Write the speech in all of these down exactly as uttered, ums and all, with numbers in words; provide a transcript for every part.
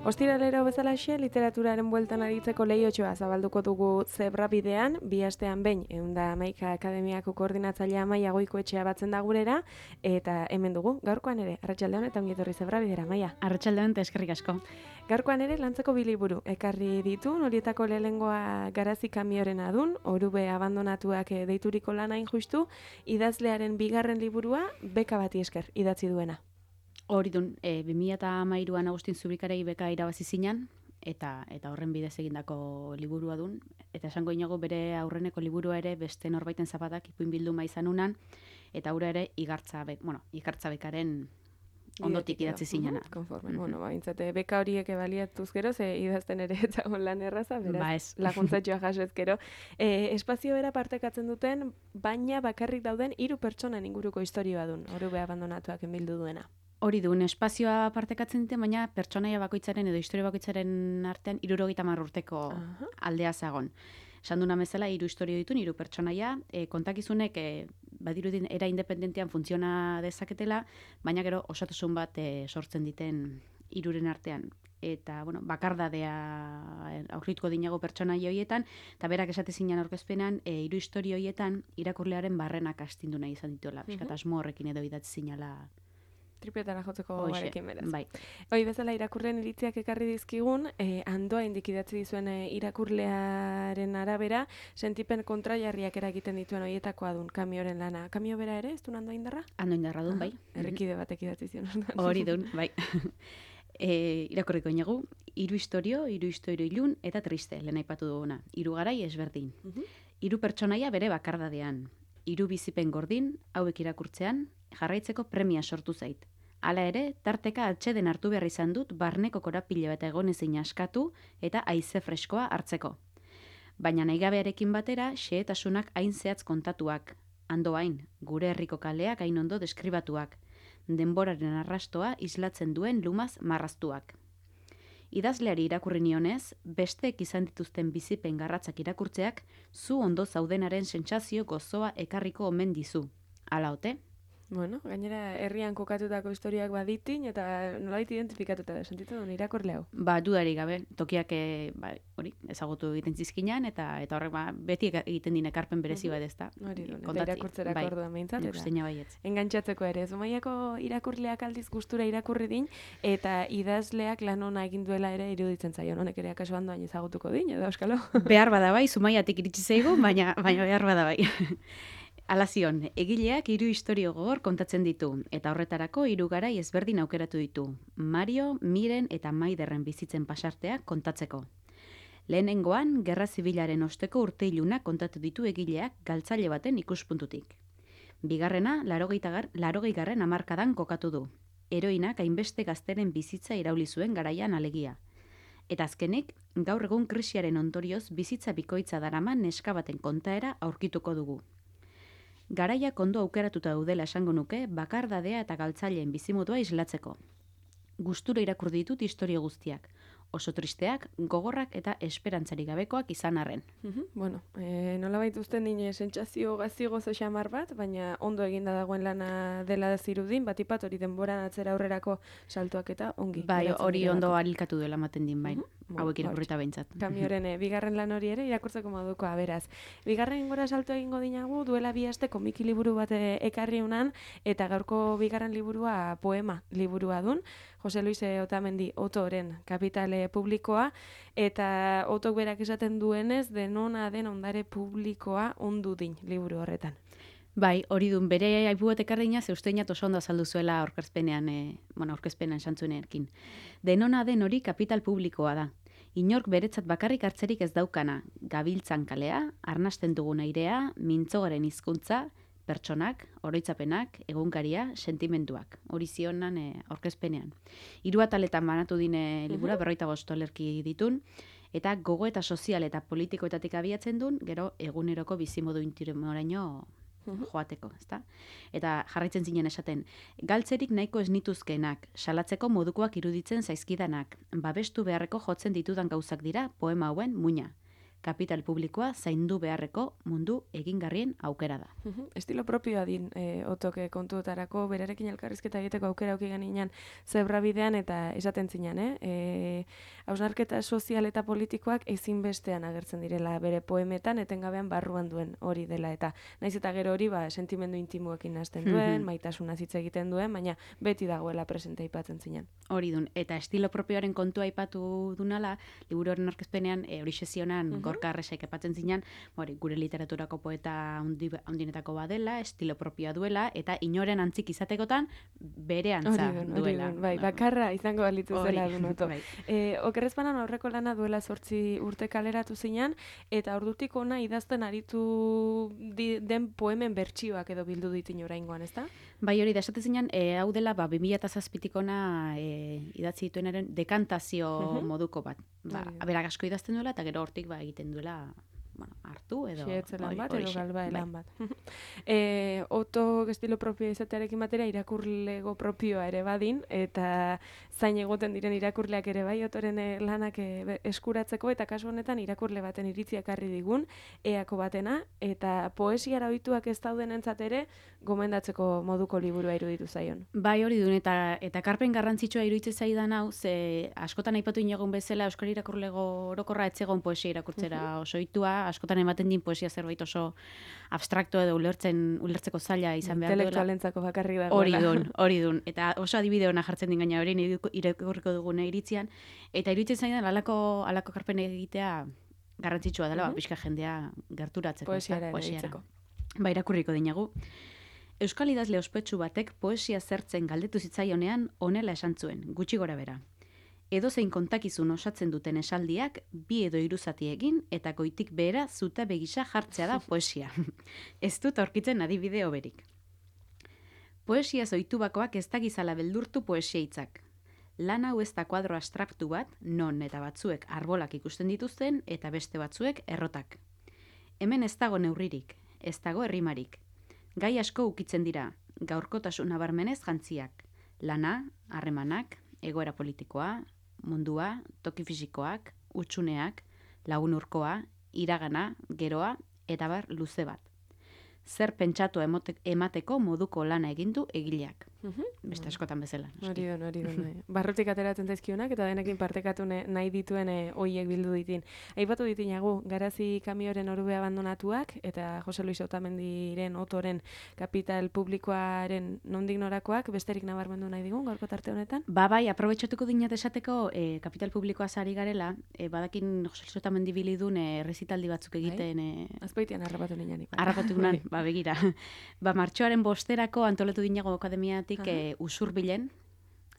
Ostiralero bezalaxe, literaturaren bueltan aritzeko lehiotxoa zabalduko dugu Zebra bidean, bi astean behin, ehun eta hamaika akademiako koordinatzailea Maia Goikoetxea batzen da gurera, eta hemen dugu, gaurkoan ere, arratsaldeon eta ongi etorri Zebra bidera, Maia. Arratsaldeon eta eskerrik asko. Gaurkoan ere, lantzeko bi liburu ekarri ditu, horietako lehenengoa Garazi kamioren adun, Orube abandonatuak deituriko lana injustu, idazlearen bigarren liburua, beka bati esker, idatzi duena. Hori dun, e, bi mila hamairuan Agustin Zubikarei beka irabazi zinan, eta eta horren bidez egindako liburua dun, eta esango inago bere aurreneko liburua ere beste norbaiten zapatak ipuin bilduma izan unan, eta hura ere igartza, be, bueno, igartza bekaren ondotik idatzi zinana. Uh-huh, konforme, mm-hmm. Bueno, baintzate, beka horiek baliatuz gero, ze idazten ere etzagon lan erraza, beraz, ba ez. Laguntzatxoa jaso ezkero. E, espazio bera partekatzen duten, baina bakarrik dauden hiru pertsonen inguruko historioa dun, Orube abandonatuak enbildu duena. Hori duen, espazioa partekatzen dute, baina pertsonaia bakoitzaren edo historia bakoitzaren artean hirurogeita hamar urteko uh-huh. aldea zagon. Esan duna bezala, hiru historio ditun, hiru pertsonaia, e, kontakizunek e, badirudin era independentian funtziona dezaketela, baina gero osatasun bat e, sortzen diten hiruren artean. Eta, bueno, bakardadea aurrituko dinago pertsonaia horietan, eta berak esate zinan aurkezpenan, e, hiru historio horietan irakurlearen barrenak astindu nahi izan dituela. Uh-huh. Asmo horrekin edo idatzi zinala tripietara jotzeko garekin beraz. Bai. Hoi bezala irakurleen iritziak ekarri dizkigun, eh, andoa indikidatzi dizuen eh, irakurlearen arabera, sentipen kontrajarriak eragiten dituen horietakoa dun kamioren lana. Kamio bera ere, ez duen andoa indarra? Andoa indarra dun, bai. Errekide batek idatzi zion. Hori dun, bai. e, irakurriko inagu, hiru historio, hiru historio ilun eta triste, lehen aipatu duguna. Hiru garai ezberdin. Hiru pertsonaia bere bakardadean. Hiru bizipen gordin, hauek irakurtzean, jarraitzeko premia sortu zait. Hala ere, tarteka atxeden hartu behar izan dut barneko korapile bat egonezin askatu eta haize freskoa hartzeko. Baina nahigabearekin batera, xehetasunak hain zehatz kontatuak. Ando hain, gure herriko kaleak hain ondo deskribatuak. Denboraren arrastoa islatzen duen lumaz marraztuak. Idazleari irakurri nionez, besteek izan dituzten bizipen garratzak irakurtzeak, zu ondo zaudenaren sentsazio gozoa ekarriko omen dizu. Hala ote? Bueno, gainera herrian kokatutako historiak baditin eta nolabait identifikatuta da, sentitu duen irakurle hau. Ba, dudari gabe, tokiak e, ba, hori, ezagutu egiten zizkinan, eta eta horrek ba, beti egiten din ekarpen berezi bat ez da. Hori duen, eta irakurtzerako bai, orduan behintzat, eta baietz. Engantxatzeko ere. Zumaiako irakurleak aldiz gustura irakurri din, eta idazleak lan ona egin duela ere iruditzen zaio. Honek ere akaso handoain ezagutuko din, edo euskalo? Behar bada bai, Zumaiatik iritsi zaigu, baina, baina behar bada bai. Alazion, egileak hiru istorio gogor kontatzen ditu, eta horretarako hiru garai ezberdin aukeratu ditu. Mario, Miren eta Maiderren bizitzen pasarteak kontatzeko. Lehenengoan, Gerra Zibilaren osteko urte ilunak kontatu ditu egileak galtzaile baten ikuspuntutik. Bigarrena, larogei garren hamarkadan kokatu du. Heroinak hainbeste gazteren bizitza irauli zuen garaian alegia. Eta azkenik, gaur egun krisiaren ondorioz bizitza bikoitza daraman neska baten kontaera aurkituko dugu. Garaiak ondo aukeratuta daudela esango nuke, bakardadea eta galtzaileen bizimodua islatzeko. Gustura irakur ditut historio guztiak. Oso tristeak, gogorrak eta esperantzari gabekoak izan arren. Uh-huh. Bueno, e, nola baituzten dine sentsazio gazi gozo xamar bat, baina ondo eginda dagoen lana dela zirudin, batipat hori denboran atzera aurrerako saltuak eta ongi. Bai, hori ondo arilkatu duela maten din bain, uh-huh. hauek irakurrita behintzat. Kamioren e, bigarren lan hori ere irakurtzeko moduko aberaz. Bigarren gora salto egingo dinagu, duela bi aste komiki liburu bat e, ekarri unan, eta gaurko bigarren liburua poema liburua dun, Jose Luis Otamendi Otoren Kapitale publikoa, eta Otok berak esaten duenez, denona den ondare publikoa ondu din liburu horretan. Bai, hori dun, bere aipu bat ekarrina zeusteinat oso ondo azaldu zuela aurkezpenean, e, bueno, aurkezpenean santzuneekin. Denona den hori kapital publikoa da. Inork beretzat bakarrik hartzerik ez daukana, gabiltzan kalea, arnasten dugun airea, mintzogaren hizkuntza, pertsonak, oroitzapenak, egunkaria, sentimenduak. Hori zionan e, aurkezpenean. Hiru ataletan banatu dine libura, berroita bost olerki ditun, eta gogo eta sozial eta politikoetatik abiatzen duen, gero eguneroko bizimodu intimoraino joateko, ezta? Eta jarraitzen zinen esaten, galtzerik nahiko ez nituzkenak, salatzeko modukoak iruditzen zaizkidanak, babestu beharreko jotzen ditudan gauzak dira poema hauen muina. Kapital publikoa zaindu beharreko mundu egingarrien aukera da. Estilo propioa din, e, otoke kontuetarako, berarekin elkarrizketa egiteko aukera auki ganean zebrabidean eta esaten zinan, eh? E, hausnarketa sozial eta politikoak ezinbestean agertzen direla bere poemetan, etengabean barruan duen hori dela, eta naiz eta gero hori ba, sentimendu intimoekin hasten duen, maitasuna hitz egiten duen, baina beti dagoela presente aipatzen zinan. Hori dun, eta estilo propioaren kontua aipatu dunala, liburuaren aurkezpenean, e, hori sesionan, uh -huh. Gorka Arresek epatzen zinan, hori, gure literaturako poeta handinetako badela, estilo propioa duela, eta inoren antzik izatekotan bere antza hori dun, duela. Hori dun, bai, bakarra izango balitu zela dun oto. Bai. E, Okerrezpanan aurreko lana duela zortzi urte kaleratu zinan, eta ordutik ona idazten aritu di, den poemen bertsioak edo bildu ditin oraingoan, ezta? Bai, hori da, esaten zinan, e, hau dela, ba, bi mila zazpitik ona e, idatzi dituenaren dekantazio uh -huh. moduko bat. Ba, berak asko idazten duela, eta gero hortik ba, egiten duela, bueno, hartu edo... Xeetzelan bat, edo galba elan bat. e, oto estilo propio izatearekin batera irakurlego propioa ere badin, eta zain egoten diren irakurleak ere bai, otoren lanak e, eskuratzeko, eta kasu honetan irakurle baten iritziak harri digun, eako batena, eta poesiara ohituak ez dauden entzat ere, gomendatzeko moduko liburua iruditu zaion. Bai, hori duen, eta eta karpen garrantzitsua iruditzen zaidan hau, ze askotan aipatu inogun bezala, Euskal Irakurlego orokorra etzegon poesia irakurtzera uh -huh. oso ohitua, askotan ematen din poesia zerbait oso abstrakto edo ulertzen ulertzeko zaila izan behar duela. Intelektualentzako bakarrik dagoela. Hori dun, hori dun. Eta oso adibide ona jartzen din gaina hori irakurriko dugune iritzian, eta iruditzen zaidan alako alako karpen egitea garrantzitsua dela, uh -huh. ba, pixka jendea gerturatzeko, poesiara eritzeko. Ba, irakurriko dinagu. Euskal idazle ospetsu batek poesia zertzen galdetu zitzaionean honela esan zuen, gutxi gora bera. Edozein kontakizun osatzen duten esaldiak bi edo hiru zati egin eta goitik behera zuta begisa jartzea da poesia. Ez dut aurkitzen adibide hoberik. Poesia zoitubakoak ez dagizala beldurtu poesia hitzak. Lan hau ez da kuadro abstraktu bat, non eta batzuek arbolak ikusten dituzten eta beste batzuek errotak. Hemen ez dago neurririk, ez dago errimarik. Gai asko ukitzen dira, gaurkotasun nabarmenez jantziak. Lana, harremanak, egoera politikoa, mundua, toki fisikoak, utsuneak, lagun urkoa, iragana, geroa, eta bar luze bat. Zer pentsatu emateko moduko lana egindu egileak. Uh-huh. Beste askotan bezala. Hori duen, hori duen. Barrutik ateratzen zaizkionak eta denekin partekatu nahi dituen hoiek bildu ditin. Aipatu ditinagu, Garazi kamioren orube abandonatuak eta Jose Luis Otamendiren otoren kapital publikoaren nondik norakoak besterik nabarmendu nahi digun, gaurko tarte honetan? Ba bai, aprobetxatuko dinat esateko e, kapital publikoa zari garela, e, badakin Jose Luis Otamendi bilidun e, resitaldi batzuk egiten... E, Azpeitean harrapatu ninanik. Harrapatu nan, ba begira. Ba martxoaren bosterako antolatu dinago akademiatik E, usurbilen,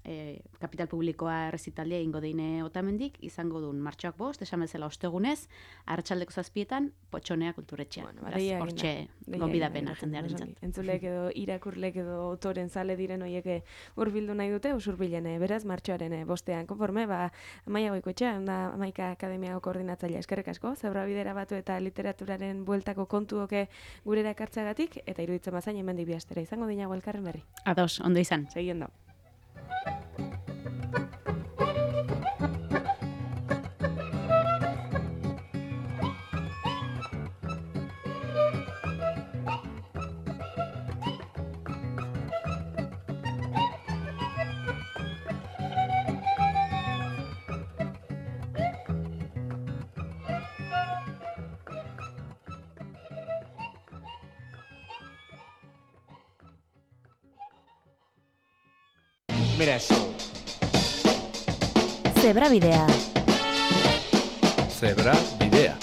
e, kapital publikoa errezitaldia ingo deine Otamendik, izango duen martxoak bost, esan bezala ostegunez, arratsaldeko zazpietan, Potxonea kulturetxea. Bueno, hortxe gonbidapena jendearen zat. Entzulek edo irakurlek edo otoren zale diren horiek hurbildu nahi dute, usurbilen, beraz, martxoaren bostean. Konforme, ba, Amaia Goikoetxea, da Amaika Akademiako koordinatzailea eskerrik asko, Zebrabidera batu eta literaturaren bueltako kontuoke gurera ekartzeagatik, eta iruditzen bazain hemen dibiastera izango dinago elkarren berri. Ados, ondo izan. Segien da. Mira eso. Zebrabidea. Zebrabidea.